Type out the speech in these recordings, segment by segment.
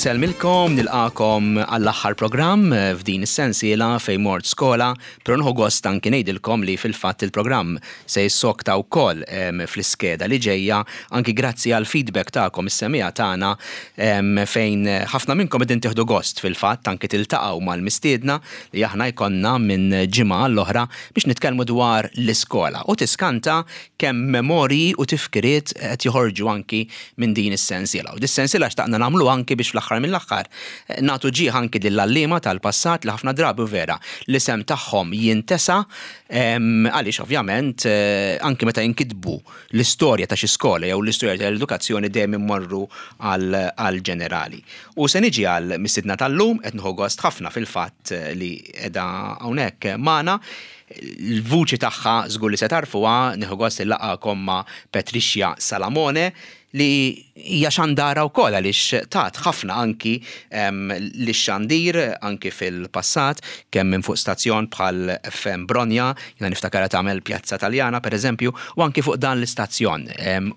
Insellmilkom, nilqakom għall-aħħar programm f'din is-sensiela fejn mort skola, però nieħu gost anki ngħidilkom li fil-fatt il-programm se jissokta wkoll fl-iskeda li ġejja anki grazzi għall-feedback tagħkom is-semmiegħa tagħna fejn ħafna minnkom qegħdin tieħdu gost fil-fatt anki tiltaqgħu mal-mistiedna li aħna jkollna minn ġimgħa għall-oħra biex nitkellmu dwar l-iskola u tiskanta kemm memorji u tifkiriet qed joħorġu anki minn din is-sensiela. U dis-sensiela xtaqna nagħmlu anki biex fl-aħħar mill-aħħar nagħtu ġieħ anki lill-għalliema tal-passat li ħafna drabi vera l-isem tagħhom jintesa għaliex ovvjament anki meta jinkitbu l-istorja ta' xi skola jew l-istorja tal-edukazzjoni dejjem immorru għall-ġenerali. U se niġi għal mistiedna tal-lum qed nieħu gost ħafna fil-fatt li qiegħda hawnhekk magħna. L-vuċi tagħha żgur li se tagħrfuha, nieħu gost nilaqgħakom ma' Patricia Salamone li hija xandara wkoll għaliex tat ħafna anki lix-xandir anki fil-passat kemm minn fuq stazzjon bħal FM Bronja, jiena niftakarha tagħmel Pjazza Taljana pereżempju, u anki fuq dan l-istazzjon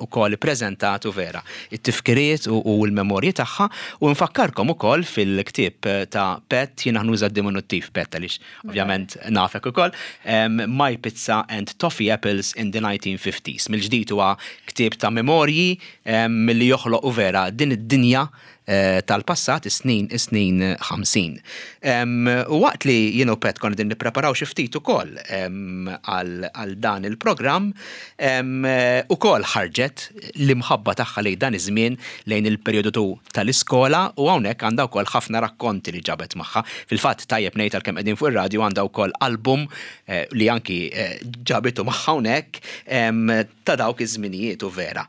ukoll ippreżentat u vera it-tifkiriet u l-memorji tagħha u nfakkarkom ukoll fil-ktieb ta' Pat, jiena nuża d-diminuttiv Pat għaliex Ovvjament nafek ukoll. My Pizza and Toffee Apples in the 1950s. Mill-ġdid huwa ktieb ta' memorji li joħloq u vera din id-dinja eh, tal-passat is-snin is-snin 50. U waqt li jien u Pet konna din nippreparaw xi ftit ukoll għal dan il-programm, ukoll ħarġet l-imħabba tagħha lejn dan iż-żmien lejn il-perjodu tal-iskola u hawnhekk għandha wkoll ħafna rakkonti li ġabet magħha. Fil-fatt tajjeb ngħid għalkemm qegħdin fuq ir-radju għandha wkoll album eh, li anki eh, ġabitu magħha hawnhekk ta' dawk iż-żminijiet u vera.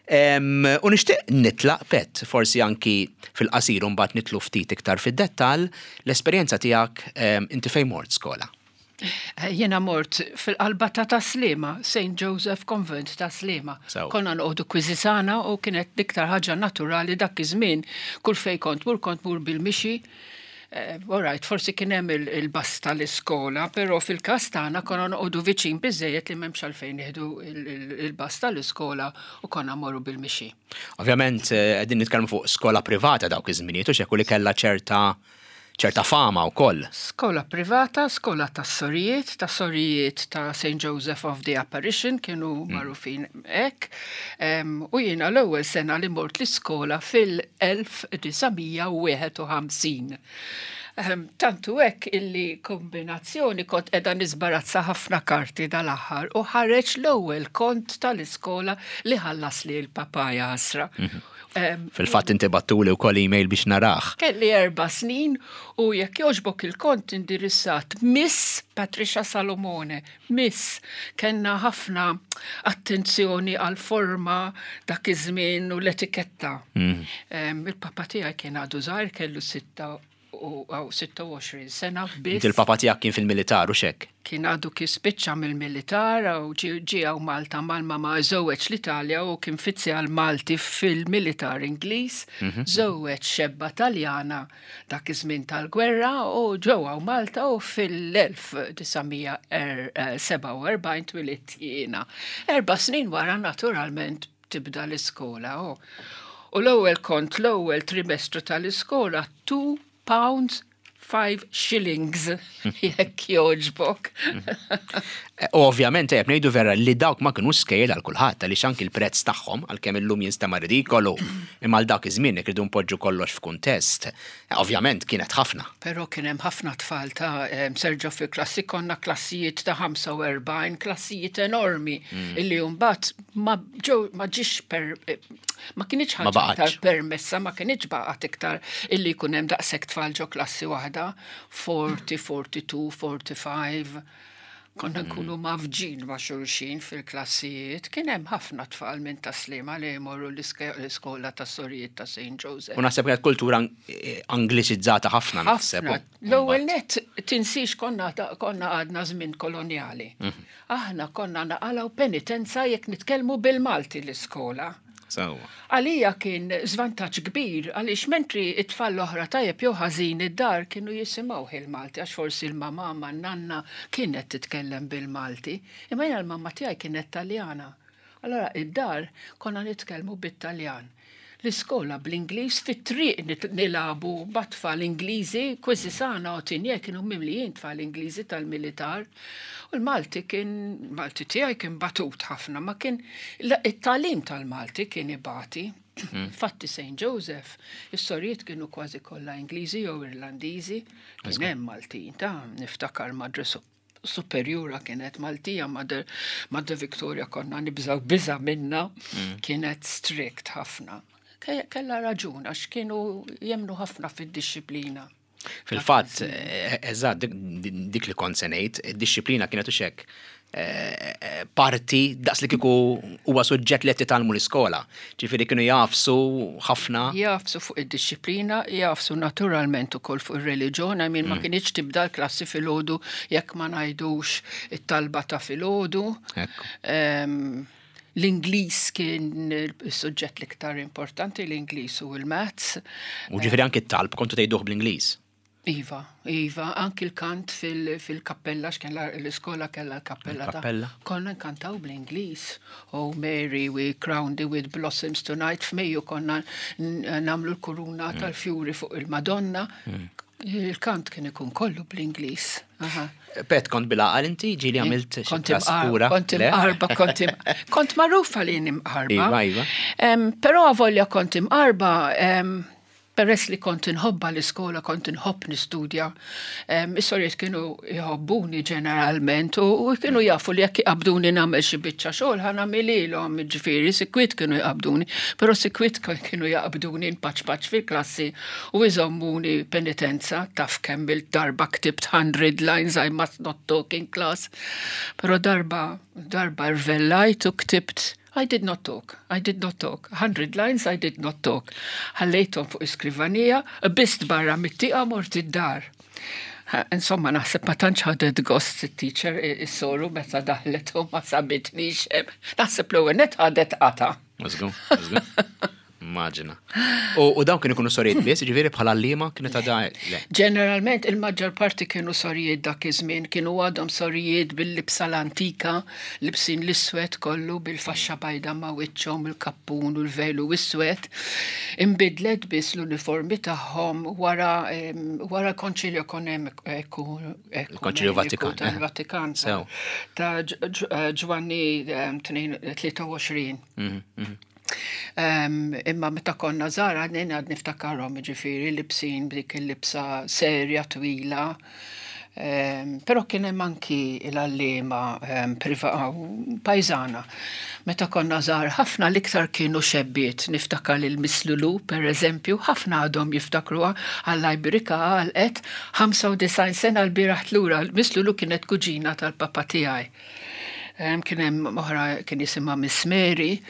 U nixtieq nitlaq pet, forsi anki fil-qasir u mbagħad nitlu ftit iktar fid-dettall, l-esperjenza tiegħek inti fejn mort skola. Eh, jiena mort fil-qalba ta' Taslima, St. Joseph Convent ta' Slima. Konna noqogħdu kwiżisana u kienet l-iktar ħaġa naturali dak iż-żmien kull fej kont mur kont mur bil-mixi. Eh, all right, forsi kien hemm il-bus tal-iskola, però fil-każ tagħna konna noqogħdu viċin biżejjed li m'hemmx għalfejn nieħdu il-bus tal-iskola u konna morru bil-mixi. Ovvjament eh, qegħdin nitkellmu fuq skola privata dawk iż-żminijiet u xekku li kellha ċerta ċerta fama wkoll. Skola privata, skola tas-sorijiet, ta' sorijiet ta' St. Joseph of the Apparition kienu mm. magħrufin hekk. U jiena l-ewwel sena li mort l-iskola fil-1951. Tantu hekk illi kombinazzjoni kont qiegħda nisbarazza ħafna karti dal-aħħar u ħareġ l-ewwel kont tal-iskola li ħallas li l-papaja ħasra. Mhm. Fil-fatt inti battuli wkoll email biex narah. Kelli erba' snin u jekk jogħġbok il-kont indirizzat Miss Patricia Salomone. Miss, kellna ħafna attenzjoni għal forma dak iż-żmien u l-etiketta. Mm. Il-papa tiegħi kien għadu żgħir kellu 26 sena biss. Inti l-papa tiegħek kien fil-militar u xek? Kien għadu kif spiċċa mill-militar u ġie hawn Malta mal-mama żewweġ l-Italja u kien fizzjal Malti fil-militar Ingliż, mhm. żewweġ xebba Taljana dak iż-żmien tal-gwerra u ġew hawn Malta u fil-1947 twilidt jiena. Erba' snin wara naturalment tibda l-iskola. Oh. U l-ewwel kont l-ewwel trimestru tal-iskola 2 pounds 5 shillings jekk jogħġbok. Eh, ovvjament qed ngħidu vera li dawk ma kienu skejjel għal kulħadd għaliex anki l-prezz tagħhom għalkemm illum jinstema' ridikolu imma għal dak iż-żmien jekk irridu npoġġu kollox f'kuntest, eh, ovvjament kienet ħafna. Però kien hemm ħafna tfal ta' eh, serġa' fi klassi konna klassijiet ta' 45, klassijiet enormi mm. illi mbagħad ma ġew ma ġiex per ma kienx ħaġa iktar permessa, ma kienx baqgħet iktar illi jkun hemm daqshekk tfal ġo klassi waħda, 40, 42, 45. Konna mm. nkunu mafġin ma' xulxin fil-klassijiet, kien hemm ħafna tfal minn taslima li jmorru l-iskola ta' sorijiet ta' St. Joseph. U naħseb kienet kultura eh, angliċizzata ħafna naħseb. L-ewwel net tinsix konna konna għadna żmien kolonjali. Mhm. Aħna konna naqalgħu penitenza jekk nitkellmu bil-Malti l-iskola. Sewwa. Għalija kien żvantaġġ kbir għaliex mentri t-tfal l-oħra tajjeb jew ħażin id-dar kienu jisimgħuh il-Malti għax forsi l-mamà man-nanna kienet titkellem bil-Malti. Imma jiena l-mamma tiegħi kienet Taljana. Allura id-dar konna nitkellmu bit-Taljan. L-iskola bl-Ingliż, fit-triq nilagħbu mat-tfal Ingliżi, Quisisana u Tigné kienu mimlijin tfal Ingliżi tal-militar. U l-Malti kien, Malti tiegħi kien batut ħafna, ma kien, it-tagħlim tal-Malti kien ibati. Infatti St. Joseph, is-sorijiet kienu kważi kollha Ingliżi jew Irlandiżi, kien hemm Maltin ta' niftakar Madre Superjura kienet Maltija, Mother Victoria konna nibżaw biża minna, kienet strict ħafna. Kella raġun, għax kienu jemnu ħafna fid-dixxiplina. Fil-fatt, eżatt, dik li kont se ngħid, id-dixxiplina kienet u xek parti daqs li kieku huwa suġġett li qed titgħallmu l-iskola. Ġifieri kienu jagħfsu ħafna. Jagħfsu fuq id-dixxiplina, jagħfsu naturalment ukoll fuq ir-reliġjon, I mean ma kinitx tibda l-klassi filgħodu jekk ma ngħidux it-talba ta' filgħodu. L-Ingliż kien is-suġġett l-iktar importanti, l-Ingliż u l-Maths. U ġifieri anki t-talb kontu tgħiduh bl-Ingliż. Iva, iva, anki l-kant fil-kappella, x'kien l-iskola kellha l-kappella. Kappella. Konna nkantaw bl-Ingliż. Oh Mary, we crown thee with blossoms tonight. F'Mejju konna nagħmlu l-kuruna tal-fjuri fuq il-Madonna. Il-kant kien ikun kollu bl-Ingliż. Pet, kont bil-għaqal inti ġieli għamilt xi Kont traskura? Kont Le? imqarba, kont kont magħrufa li jien imqarba. Iva, iva. Però avolja kont imqarba, peress li kont inħobbha l-iskola, kont inħobb nistudja, is-sorijiet kienu jħobbuni ġeneralment u kienu jafu li jekk iqabbduni nagħmel xi biċċa xogħol ħa nagħmililhom, jiġifieri sikwit kienu jqabbduni, però sikwit kienu jaqbduni npaċpaċ fil-klassi u jżommuni penitenza, taf kemm il-darba ktibt 100 lines I must not talk in class. Però darba darba rvellajt u ktibt I did not talk, I did not talk, 100 lines I did not talk. Ħallejthom fuq iskrivanija, qbist barra mit-tieqa mort id-dar. Insomma, naħseb ma tantx ħadet gost it-teacher is-soru meta daħlet u ma sabitnix hemm. Naħseb l-ewwel net ħadet qata. Żgur, żgur. Immaġina. U dawn kienu jkunu sorijiet biss, ġifieri bħala għalliema kienet għadha le. Ġeneralment il-maġġor parti kienu sorijiet dak iż-żmien, kienu għadhom sorijiet bil-libsa l-antika, libsin l-iswed kollu bil-faxxa bajda ma' wiċċhom, il-kappun u l-velu iswed. Inbidlet biss l-uniformi tagħhom wara wara l-Konċilju Il-Konċilju Vatikan. tal-Vatikan ta' Ġwanni 23. Imma meta konna żgħar għadni għad niftakarhom ġifieri libsin b'dik il-libsa serja twila. Però kien hemm anki l-għalliema pajżana. Meta konna żgħar ħafna l-iktar kienu xebbiet, niftakar lil Miss Lulu per eżempju, ħafna għadhom jiftakruha Alla jbirikha għalqet 95 sena l-bieraħ tlura. Miss Lulu kienet kuġina tal-papa tiegħi. Kien hemm oħra kien jisimha Miss Mary,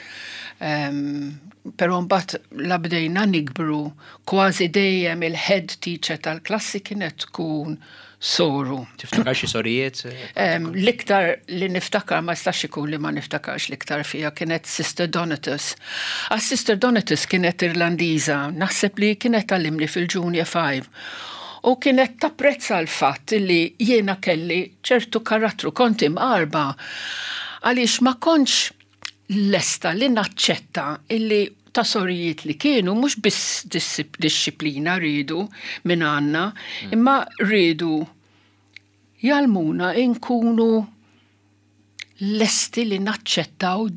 però mbagħad la bdejna nikbru kważi dejjem il-head teacher tal-klassi kienet tkun soru. Tiftakar xi sorijiet? L-iktar li niftakar ma jistax ikun li ma niftakarx l-iktar fija kienet Sister Donatus. Għax Sister Donatus kienet Irlandiża, naħseb li kienet tgħallimni fil-Junior 5. U kienet tapprezza l-fatt li jiena kelli ċertu karattru, kont imqarba għaliex ma kontx lesta li naċċetta illi ta' sorijiet li kienu mhux biss dixxiplina riedu minn għandna, imma riedu jgħallmuna nkunu lesti li naċċettaw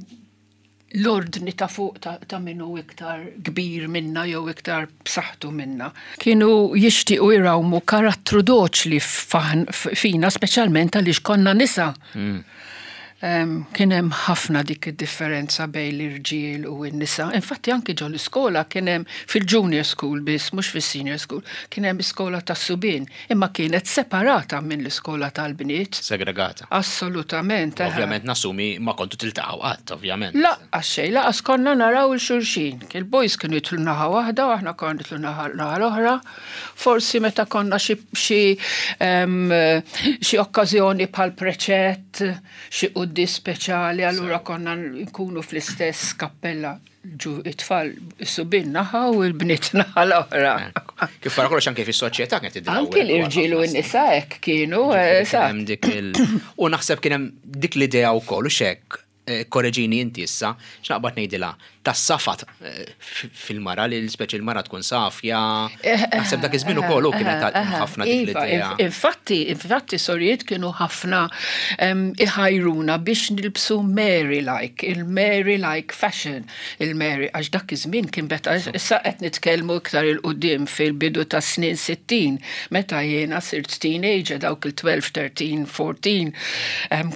l-ordni ta' fuq ta' min hu iktar kbir minna jew iktar b'saħħtu minna. Kienu jixtiequ jrawmu karattru doċli fina, speċjalment għaliex konna nisa. Kien hemm ħafna dik id-differenza bejn l-irġiel u n-nisa. Infatti anki ġo l-iskola kien hemm fil-junior school biss, mhux fis-senior school, kien hemm iskola tas-subien, imma kienet separata minn l-iskola tal-bniet. Segregata. Assolutament. Ovvjament nassumi ma kontu tiltaqgħu qatt, ovvjament. Lanqas xejn, lanqas konna naraw 'il xulxin. Il-boys kienu jidħlu naħa waħda u aħna konna nidħlu naħa l-oħra. Forsi meta konna xi xi okkażjoni bħal preċett, xi quddies speċjali, allura konna nkunu fl-istess kappella ġu it-tfal is-subien naħa u l-bniet naħa l-oħra. Kif wara kollox anke fis-soċjetà kienet tidher. Anke l-irġiel u n-nisa hekk kienu, U naħseb kien hemm dik l-idea wkoll u x'hekk. Korreġini inti issa, x'naqbad ngħidilha, tas-safa fil-mara li speċi l-mara tkun safja. Naħseb dak iż-żmien ukoll hu kienet ħafna dik iva, l-idea. Infatti, infatti sorijiet kienu ħafna iħajruna biex nilbsu Mary-like, il-Mary-like fashion, il-Mary, għax dak iż-żmien kien beta issa qed nitkellmu iktar 'il quddiem fil-bidu tas-snin 60, meta jiena sirt teenager dawk il-12, 13, 14,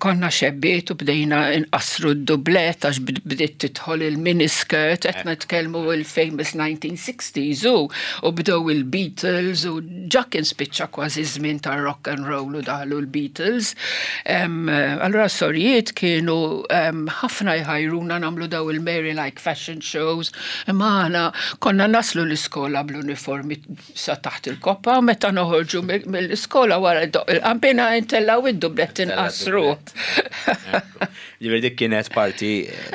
Konna xebbiet u bdejna nqassru d-dublett għax bdiet tidħol il-miniskirt, qed nitkellmu il-famous 1960s u u bdew il-Beatles u ġa kien spiċċa kważi żmien tar-rock and roll u daħlu l-Beatles. Allura s-sorijiet kienu ħafna jħajruna nagħmlu daw il-Mary-like fashion shows, imma aħna konna naslu l-iskola bl-uniformi sa taħt il-koppa, meta noħorġu mill-iskola wara doq il-qampina intellaw id-dublett inqasru. Ġifieri dik kienet parti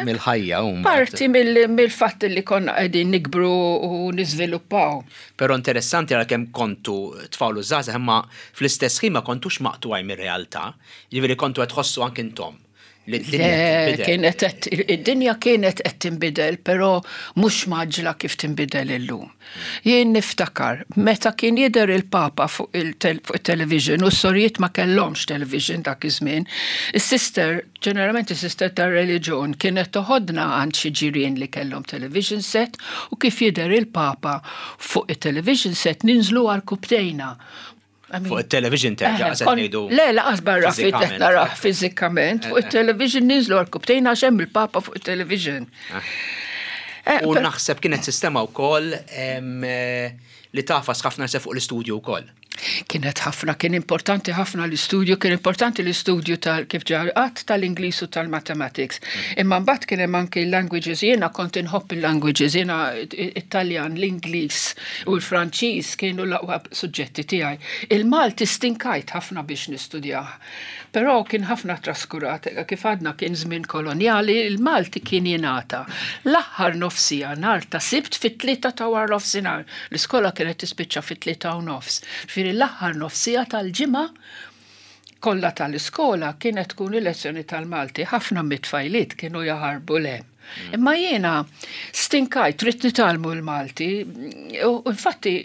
mill-ħajja u Parti mill-fatt li konna qegħdin nikbru u niżviluppaw. Però interessanti għalkemm kontu tfal u żgħażagħ imma fl-istess ħin ma kontux maqtugħin mir-realtà, ġifieri kontu qed tħossu anki intom li d-dinja tinbidel. Kienet qed id-dinja kienet qed tinbidel, però mhux mgħaġġla kif tinbidel illum. Jien niftakar meta kien jidher il-Papa fuq il-television u s-sorijiet ma kellhomx television dak iż-żmien, is-sister, ġeneralment is-sister tar-reliġjon kienet toħodna għand xi ġirien li kellhom television set u kif jidher il-Papa fuq it-television set ninżlu għarkupptejna. Fuq il-television terġa' qed ngħidu. Le, laqas barra fit qed narah fiżikament, fuq il-television ninżlu għal-kubtejn għax hemm il-Papa fuq il-television. U naħseb kienet sistema wkoll li tafas ħafna se fuq l-istudju wkoll. Kienet ħafna, kien importanti ħafna l-istudju, kien importanti l-istudju tal kif ġarqat tal-Ingliż u tal-Mathematics. Imma mbagħad kien hemm anki l-languages, jiena kont inħobb il-languages, jiena Italjan, l-Ingliż u l-Franċiż kienu l-aqwa suġġetti tiegħi. Il-Malti stinkajt ħafna biex nistudjah. Però kien ħafna traskurat, kif għadna kien żmien kolonjali, il-Malti kien jingħata l-aħħar nofsija nhar ta' Sibt fit-tlieta ta' waranofsinhar. L-iskola kienet tispiċċa fit-3:30. Ġifieri l-aħħar nofsija tal-ġimgħa kollha tal-iskola kienet tkun il-lezzjoni tal-Malti. Ħafna mit-tfajliet kienu jaħarbu 'l hemm. Imma jiena stinkajt, ridt nitgħallmu l-Malti, u infatti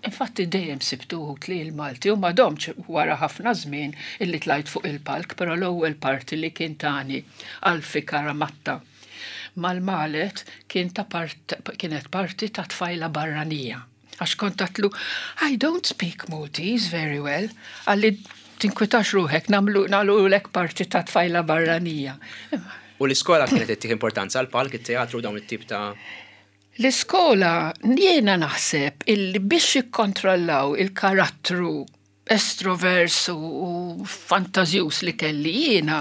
infatti dejjem sibt uħud li l-Malti u ma domtx wara ħafna żmien illi tlajt fuq il-palk, però l-ewwel parti li kien tani Alfie Caramatta mal-Malet kien ta' part, kienet parti ta' tfajla barranija. Għax kont għatlu, I don't speak Maltese very well. Għalli tinkwitax ruħek, namlu nagħlulek parti ta' tfajla barranija. U l-iskola kienet ittih importanza għall-palk, it-teatru, dawn it-tip ta' L-iskola jiena naħseb illi biex jikkontrollaw il-karattru estrovers u fantażjuż li kelli jiena,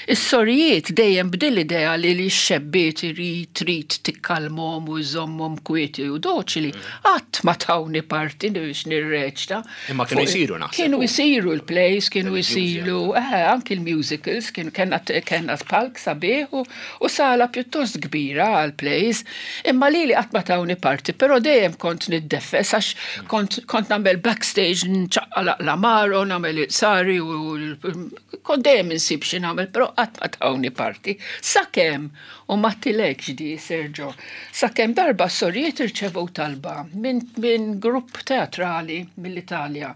is-sorijiet dejjem b'din l-idea li x-xebbiet irid trid tikkalmhom u żżommhom kwieti u doċili, qatt ma tawni parti biex nirreċta. Imma kienu jsiru naħseb. Kienu jsiru l-plays, kienu jsiru, eh, anki l-musicals, kienu kellna kellna palk sabiħ u sala pjuttost kbira għall-plays. Imma lili qatt ma tawni parti, però dejjem kont niddeffes għax kont kont nagħmel backstage nċaqqalaq l-amaro, nagħmel il-qsari u kont dejjem insib xi nagħmel, però qatt ma tawni parti. Sakemm, u ma għedtilekx di, Sergio, sakemm darba s-sorijiet irċevew talba minn min grupp teatrali mill-Italja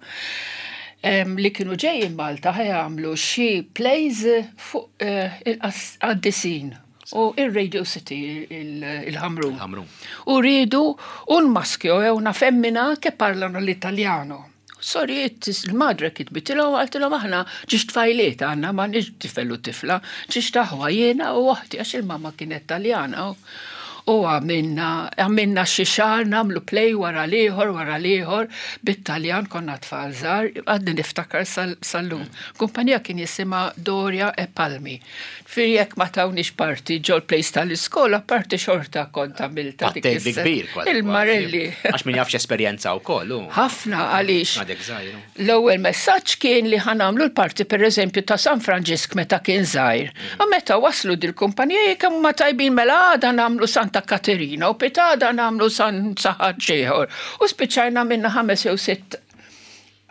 li kienu ġejjin Malta ħa jagħmlu xi plays fuq eh, il-qaddisin u il-Radio City il-Ħamrun. U rridu un maschio e una femmina che parlano l-Italjano. Sorijiet, il-madre kitbitilhom qaltilhom aħna ġiex tfajliet għandna m'għandniex tifel u tifla, ġiex taħwa jiena u oħti għax il-mamma kienet Taljana. U għamilna għamilna xi xahar nagħmlu play wara l-ieħor wara l-ieħor bit-Taljan konna tfal żgħar, għadni niftakar sal-lum. Kumpanija kien jisimha Doria e Palmi. Ġifieri jekk ma tawniex parti ġol-place tal-iskola, parti xorta kont għamiltha dik is kbir kważi. Il-Marelli. Għax min jaf x'esperjenza wkoll hu. Ħafna għaliex. Għadek żgħir. L-ewwel messaġġ kien li ħa nagħmlu l-parti pereżempju ta' San Franġisk meta kien żgħir. U meta waslu dil-kumpanija jekk huma tajbin mela għada nagħmlu Santa Katerina u pitgħada nagħmlu San Saħaġ ieħor. U spiċċajna għamilna ħames jew sitt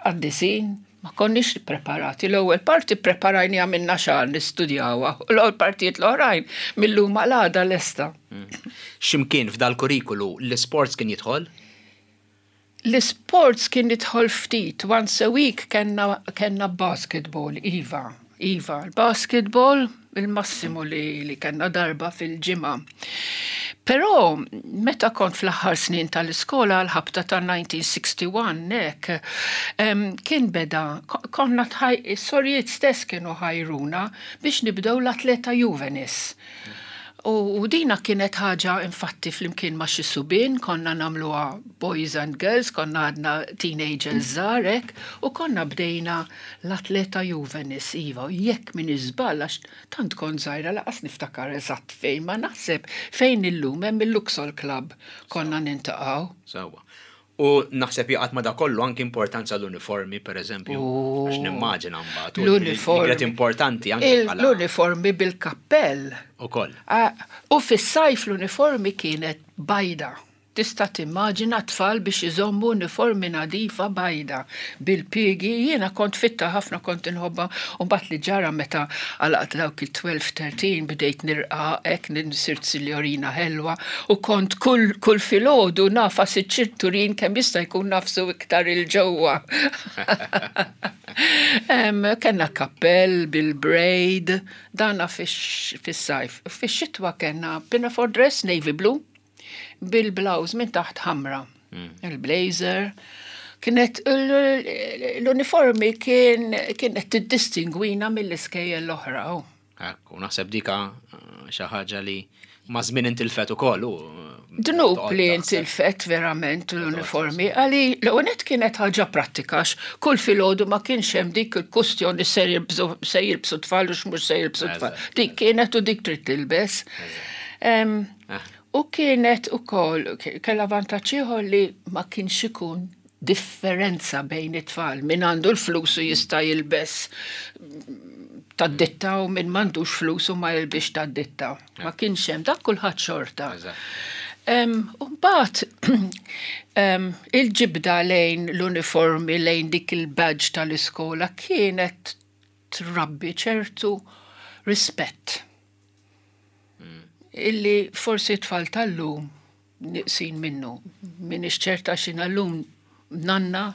qaddisin. Ma konniex preparati. L-ewwel parti preparajni għamilna xahar nistudjawha, u l-ewwel partijiet l-oħrajn mill-lum għal għada lesta. X'imkien f'dal-kurrikulu l-isports kien jidħol? L-isports kien jidħol ftit, once a week kellna kellna basketball, iva, iva, l-basketball il-massimu li, li kellna darba fil-ġimgħa. Però meta kont fl-aħħar snin tal-iskola għall-ħabta ta' 1961 hekk, kien beda, konna is-sorijiet stess kienu ħajruna biex nibdew l-Atleta Juvenis. U dina kienet ħaġa infatti flimkien ma' xi subien konna nagħmluha boys and girls, konna għadna teenagers żgħar hekk, u konna bdejna l-Atleta Juvenis, iva, jekk m'iniex żball għax Tant kont żgħira laqas niftakar eżatt fejn, ma naħseb fejn illum hemm il-Luxol Club konna nintaqgħu. Sewwa. U naħseb jaqgħad ma' dak kollu anki importanza l-uniformi, per eżempju, għax nimmaġina mbagħad. L-uniformi. Kienet importanti anki bħala. L-uniformi bil-kappell. Ukoll. U fis-sajf l-uniformi kienet bajda. Tista' timmaġina tfal biex iżommu uniformi nadifa bajda, bil-piegi, jiena kont fitta ħafna kont inħobbha u mbagħad li ġara meta għalaqt dawk it-12, 13 bdejt nirqaq hekk sirt sinjorina ħelwa u kont kull kull filgħodu nagħfas iċ-ċinturin kemm jista' jkun nagħfsu iktar 'il ġewwa. Kellna kappell bil-braid, dana fis-sajf. Fix-xitwa kellna pinafore dress navy blue. bil-blouse minn taħt ħamra. Il-blazer. Kienet l-uniformi kien kienet tiddistingwina mill-iskejjel l-oħra. Oh. Ekku, naħseb dika eh, xi ħaġa li ma' żmien intilfet ukoll u eh, Dnub li intilfet verament l-uniformi, għali l-għonet kienet ħaġa prattika, kull filgħodu ma kienx hemm dik il-kustjoni se jilbsu tfal u x'mhux se jilbsu tfal. Dik kienet u dik trid tilbes. U kienet ukoll, kellha vantaġġ ieħor li ma kienx ikun differenza bejn it-tfal, min għandu l-flus u jista' jilbes tad-ditta u min m'għandux flus u ma jilbisx tad-ditta. Ma kienx hemm dak kulħadd xorta. U mbagħad il-ġibda lejn l-uniformi, lejn dik il-badge tal-iskola kienet trabbi ċertu rispett. Illi forsi t-tfal tal-lum nieqsin minnu. M'iniex ċerta x'inha llum nanna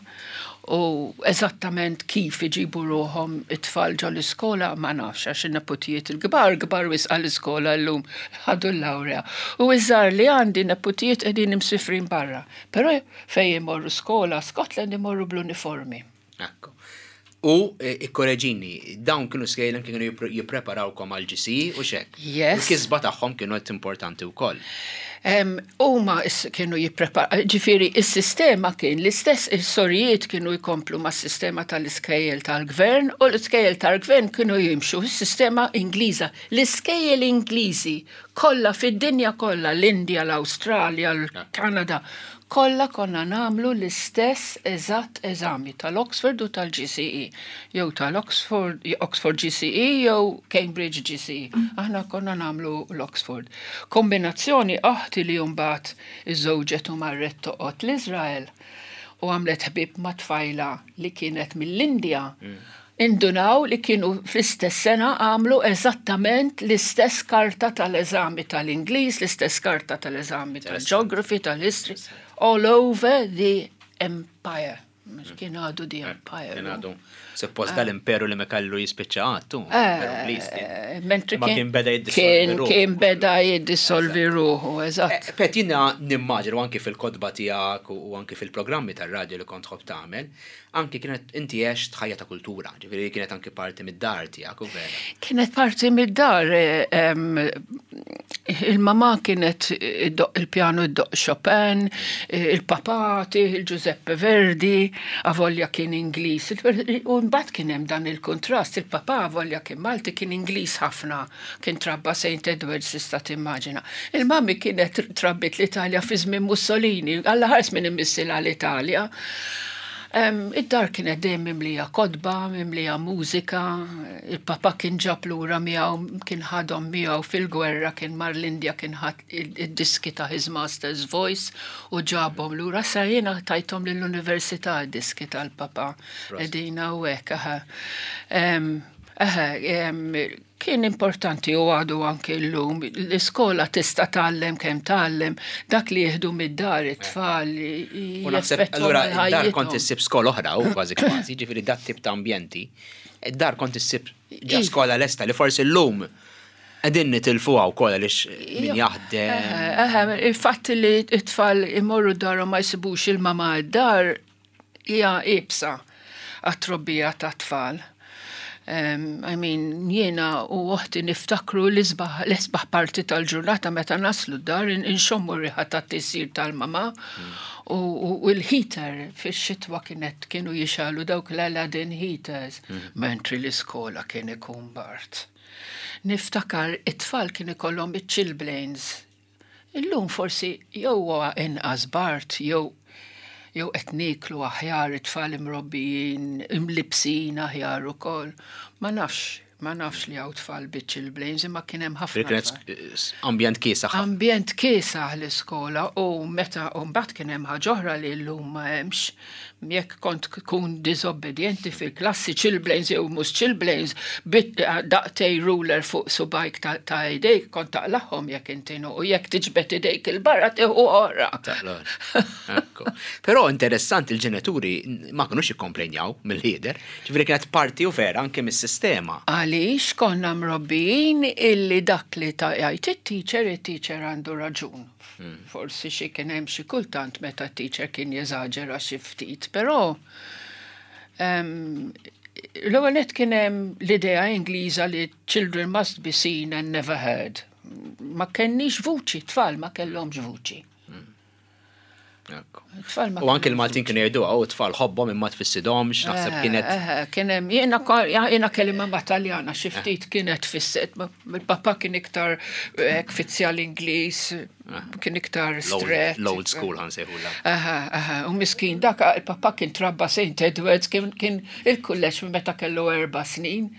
u eżattament kif iġibu ruħhom it-tfal ġol-iskola ma nafx għax in-neputijiet il-kbar kbar wisq għall-iskola llum ħadu l-lawrea. U iż-żgħar li għandi neputijiet qegħdin imsifrin barra. Però fejn imorru skola Scotland imorru bl-uniformi. Ekku. U ikkoreġini, dawn kienu skejjel anki kienu jippreparawkom għal GCE u xek. Yes. Il-kisba tagħhom kienu qed importanti wkoll. Huma kienu jippreparaw, ġifieri is-sistema kien l-istess, is-sorijiet kienu jkomplu mas-sistema tal-iskejjel tal-gvern u l-iskejjel tal-gvern kienu jimxu s-sistema Ingliża. L-iskejjel Ingliżi kollha fid-dinja kollha, l-Indja, l-Awstralja, l-Kanada, Kollha konna nagħmlu l-istess eżatt eżami tal-Oxford u tal-GCE, jew tal-Oxford, Oxford GCE jew Cambridge GCE. Aħna konna nagħmlu l-Oxford. Kombinazzjoni oħti li mbagħad iżżewġet u marret toqgħod l-Iżrael u għamlet ħbieb ma' tfajla li kienet mill-Indja. Indunaw li kienu fl-istess sena għamlu eżattament l-istess karta tal-eżami tal-Ingliż, l-istess karta tal-eżami tal-Geography, tal-History, all over the empire. Kien għadu the empire. Kien għadu. Suppost dal-imperu li ma kellu jispiċċa għattu. Mentri kien beda jiddissolvi ruħu. Kien beda jiddissolvi ruħu, eżatt. Pet jiena nimmaġinu anki fil-kotba tiegħek u anki fil-programmi tar-radju li kont tħobb tagħmel, Anki kienet inti għext ħajja ta' kultura, ġifieri kienet anki parti mid-dar tiegħek u vera. Kienet parti mid-dar. Il-mamà kienet iddoqq il-pjanu iddoqq Chopin, il-papà tih il-Giuseppe Verdi, avolja kien Ingliż. U mbagħad kien hemm dan il-kuntrast, il-papà avolja kien Malti kien Ingliż ħafna, kien trabba St. Edwards tista' timmaġina. Il-mami kienet trabbiet l-Italja fi żmien Mussolini, Alla ħares min imissilha l-Italja. Id-dar kienet dejjem mimlija kotba, mimlija mużika, il-papa kien ġab lura miegħu, kien ħadhom miegħu fil-gwerra, kien mar l-Indja kien ħad id-diski ta' His Master's Voice u ġabhom lura. Sa jiena tajthom lill-università d-diski tal-papa. Qegħdin hawnhekk, aha. Eħe, kien importanti u għadu anki llum, l-iskola tista' tgħallem kemm tgħallem, dak li jieħdu mid-dar it-tfal. U naħseb allura id-dar kont issib skola oħra u kważi kważi, ġifieri dat tip ta' ambjenti, id-dar kont issib ġa skola lesta li forsi llum qegħdin nitilfuha wkoll għaliex min jaħdem. Eħe, il-fatt li t-tfal imorru d-dar u ma jsibux il-mama d-dar hija iebsa għat-trobbija tat-tfal. I mean, jiena u oħti niftakru l-isbaħ l-isbaħ parti tal-ġurnata meta naslu d-dar inxommu r-riħa tat-tisjir tal-mama u l-heater fix-xitwa kienet kienu jixgħelu dawk l-Aladdin heaters, mentri l-iskola kien ikun bard. Niftakar it-tfal kien ikollhom iċ-chilblains. Illum forsi jew huwa inqas bard jew jew qed nieklu aħjar it-tfal imrobbijin imlibbsin aħjar ukoll. Ma nafx, ma nafx li hawn tfal biċ-chilblains imma kien hemm ħafna. Kienet ambjent kiesaħ. Ambjent kiesaħ l-iskola u meta u mbagħad kien hemm ħaġa oħra li llum ma hemmx. Jekk kont tkun diżobbedjenti fil-klassi chilblains jew mhux chilblains, daqtej ruler fuq subgħajk ta' idejk kont taqlagħhom jekk inti u jekk tiġbed idejk 'il barra tieħu oħra. Però interessanti l-ġenituri ma kinux jikkomplenjaw mill-ħieder, ġifieri kienet parti u vera anke mis-sistema. Għaliex konna mrobbijin illi dak li jgħid it-teacher, it-teacher għandu raġun. Forsi xi kien hemm xi kultant meta t-teacher kien jeżaġera xi ftit, però l-ewwel nett kien hemm l-idea Ingliża li children must be seen and never heard. Ma kenniex vuċi, tfal ma kellhomx vuċi. U anke l-Maltin kienu jgħidu għaw tfal ħobbhom imma tfissidomx, naħseb kienet. Kien hemm jiena jiena kelli mamma Taljana xi ftit kienet fisset, il-papà kien iktar fizzjal Ingliż, kien iktar stret. L-old school ħansejħula. U miskin dak il-papà kien trabba St. Edwards kien il-kulleġġ minn meta kellu 4 snin.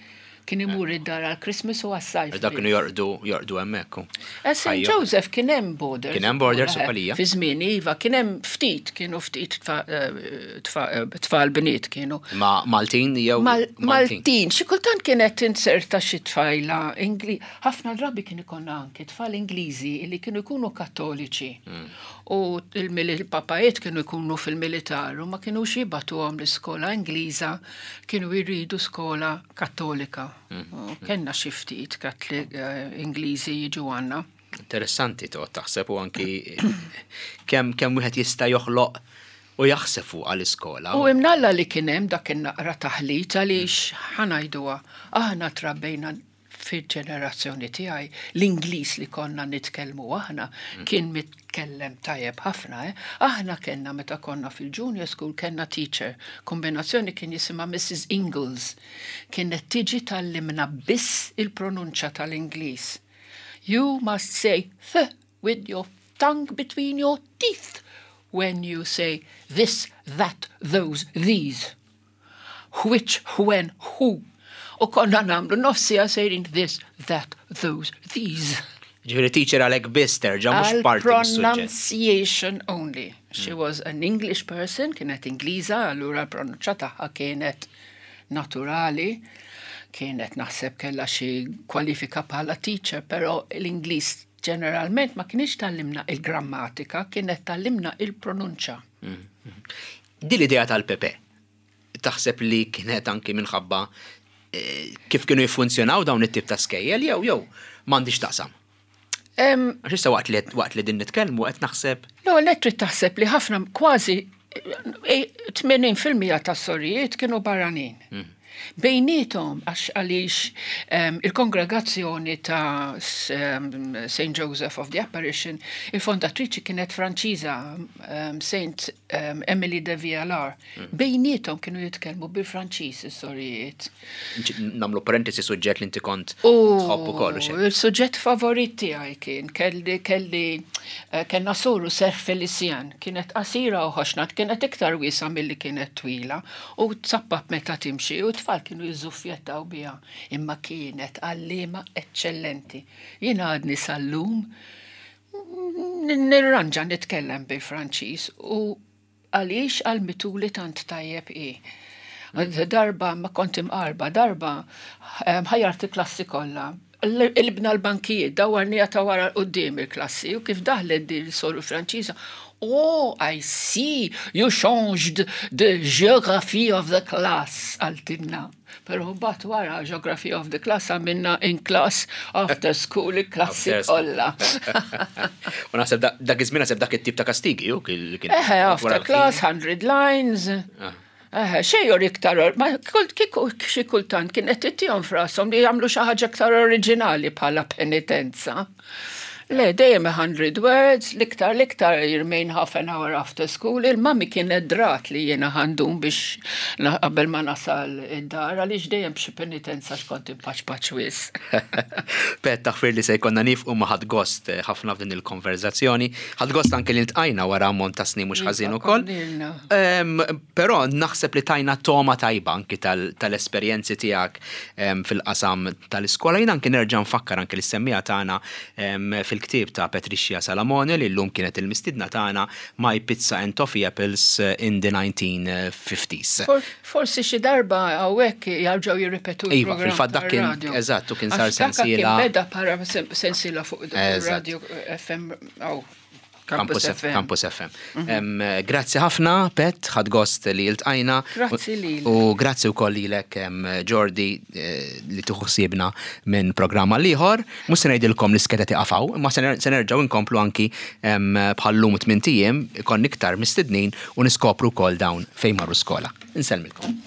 Kien imur id-dar għal Christmas u għas-sajf. Dak kienu jorqdu jorqdu hemmhekk. Eh, St. Joseph kien hemm borders. Kien hemm borders u għalija. Fi żmien iva, kien hemm ftit, kienu ftit eh, eh, tfal bniet kienu. Ma Maltin jew Maltin. Xi kultant kienet tinserta xi tfajla Ingli. Ħafna drabi kien ikollna anki tfal Ingliżi li kienu jkunu Kattoliċi. U il-papajiet kienu jkunu fil-militar u ma kinux jibagħtuhom l-iskola Ingliża, kienu jridu skola Kattolika. Kenna xi ftit eh, Ingliżi jiġu għandna. Interessanti toqgħod taħseb u anki kemm kemm wieħed jista' joħloq u jaħseb fuq għall-iskola. U imnalla li kien hemm dak in-naqra taħlit għaliex ħanajduha aħna trabbejna Fil-ġenerazzjoni tiegħi, l-Ingliż li konna nitkellmu aħna kien mitkellem tajjeb ħafna, eh. Aħna kellna meta konna fil-junior school kellna teacher, kombinazzjoni kien jisimha Mrs Ingles. Kienet tiġi tgħallimna biss il-pronunċja tal-Ingliż. You must say th with your tongue between your teeth when you say this, that, those, these. Which, when, who. U konna nagħmlu nofs siegħa sejrin this, that, those, these. Ġifieri teacher għalhekk biss terġa' mhux parti mis-suġġett. Pronunciation only. She was an English person, kienet Ingliża, allura l-pronunċja tagħha kienet naturali. Kienet naħseb kellha xi kwalifika bħala teacher, però l-Ingliż ġeneralment ma kinitx tgħallimna il-grammatika, kienet tgħallimna il-pronunċja. Din l-idea tal-Pepe, taħseb li kienet anki minħabba kif kienu jiffunzjonaw dawn it-tip ta' skejjel jew jew m'għandix taqsam? Għax issa waqt li waqt li din nitkellmu qed naħseb. L-ewwel nett trid taħseb li ħafna kważi 80% tas-sorijiet kienu barranin. Bejniethom għax għaliex il-kongregazzjoni ta' St. Joseph of the Apparition, il-fondatriċi kienet Franċiża, Saint Emily de Vialar. Bejniethom kienu jitkellmu bil-Franċiż is-sorijiet. Nagħmlu parentesi suġġett li inti kont tħobb ukoll. Il-suġġett favorit tiegħi kien kelli kelli eh, kellna soru Ser Felician, kienet qasira u ħoxna, kienet iktar wiesa milli kienet twila u tsappap meta timxi u t-tfal kienu jiżuffjettaw biha, imma kienet għalliema eċċellenti. Jien għadni sal-lum nirranġa nitkellem bil-Franċiż u Għaliex għallmituli tant tajjeb hi. Darba ma kont imqarba, darba ħajjart il-klassi kollha. Qilbna l-bankijiet, dawwarniha ta' wara 'l quddiem il-klassi u kif daħlet din is-soru Franċiża, Oh, I see, you changed the geography of the class, qaltilna. Pero mbagħad wara Geography of the Class għamilna in class after school il-klassi kollha. U naħseb dak iż-żmien naħseb dak it-tip ta' kastigi u kien. Eħe, after class, 100 lines. Ah. Eħe, xejn or iktar, ma kieku xi kultant kien qed ittihom f'rashom li jagħmlu xi ħaġa iktar oriġinali bħala penitenza. Le, dejjem 100 words, l-iktar l-iktar remain half an hour after school. Il-mami kienet drat li jiena ħandum biex qabel ma nasal id-dar għaliex dejjem b'xi penitenza x'kont impaċpaċ wisq. Pet, taħfir li se jkollna niefqu ma ħadt gost eh, ħafna f'din il-konverzazzjoni. Ħadt gost anke li ltqajna wara ammont ta' snin mhux iva, ħażin ukoll. Però naħseb li tajna toma tajba anki tal-esperjenzi tiegħek fil-qasam tal-iskola. Jien anki nerġa' nfakkar anki lis-semmiegħa tagħna fil-ktieb ta' Patricia Salamone li llum kienet il-mistiedna tagħna My Pizza and Toffee Apples in the 1950s. Forsi xi darba hawnhekk jarġgħu jirripetu l-programm. Iva, fil-fatt dak kien eżatt u kien sar sensiela. Kien beda bħala sensiela fuq radio FM. Campus FM. Campus FM. Mhm. Grazzi ħafna, Pet, ħad gost li iltqajna. Grazzi li. U grazzi wkoll lilek Jordi eh, li tieħu ħsiebna minn programma liħor. Mhux se ngħidilkom li skeda tiqafaw, imma se nerġgħu nkomplu anki bħallum tmien ijiem ikon iktar mistednin u niskopru wkoll dawn fejn marru skola. Insellmilkom.